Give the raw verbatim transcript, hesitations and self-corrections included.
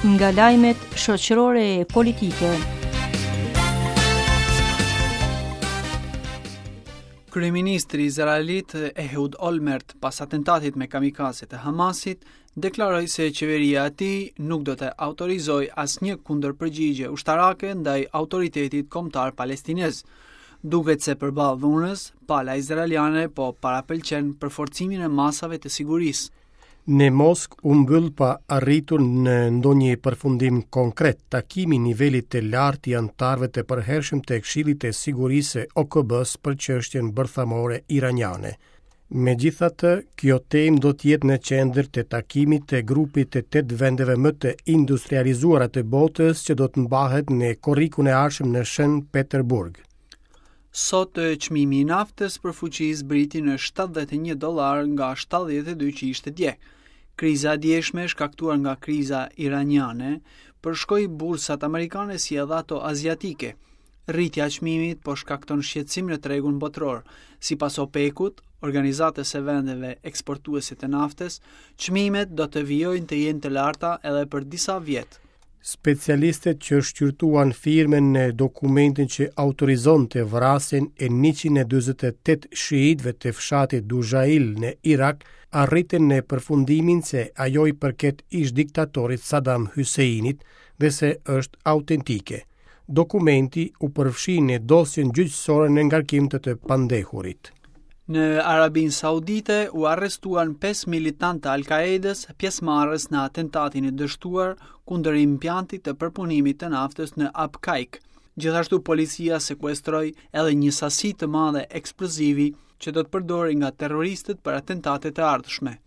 Nga lajmet shoqërore e politike. Kryeministri izraelit Ehud Olmert pas atentatit me kamikaze të Hamasit deklaroi se qeveria e tij nuk do të autorizojë asnjë kundërpërgjigje ushtarake ndaj autoritetit kombëtar palestinez. Duket se përballë dhunës, pala izraeliane po parapëlqen përforcimin e masave të sigurisë. Në Moskë u mbyll pa arritur në ndonjë përfundim konkret takimi i nivelit të lartë i anëtarëve të përhershëm të Këshillit të Sigurisë së O K B-s për çështjen bërthamore iraniane. Megjithatë, kjo temë do të jetë në qendër të takimit të grupit të tetë vendeve më të industrializuara të botës, që do të mbahet në korrikun e ardhshëm në Shën Peterburg. Sot çmimi i naftës për fuqi zbriti në shtatëdhjetë e një dollar nga shtatëdhjetë e dy që ishte dje. Kriza e djeshme, shkaktuar nga kriza iraniane, përshkoi bursat amerikane si edhe ato aziatike. Rritja e çmimit po shkakton shqetësim në tregun botëror. Sipas OPEC-ut, organizatës së vendeve eksportuese të naftës, çmimet do të vijojnë të jenë të larta edhe për disa vjet. Specialistët që shqyrtuan firmën në dokumentin që autorizonte vrasjen e njëqind e dyzet e tetë shiitëve të fshatit Dujail në Irak arritën në përfundimin se ajo i përket ish diktatorit Saddam Husseinit dhe se është autentike. Dokumenti u përfshi në dosjen gjyqësore në ngarkim të të pandehurit. Në Arabin Saudite u arrestuan pesë militantë të Al-Qaedës, pjesëmarrës në atentatin e dështuar kundër impiantit të përpunimit të naftës në Abqaiq. Gjithashtu, policia sekuestroi edhe një sasi të madhe eksplozivi që do të përdorej nga terroristët për atentatet e ardhshme.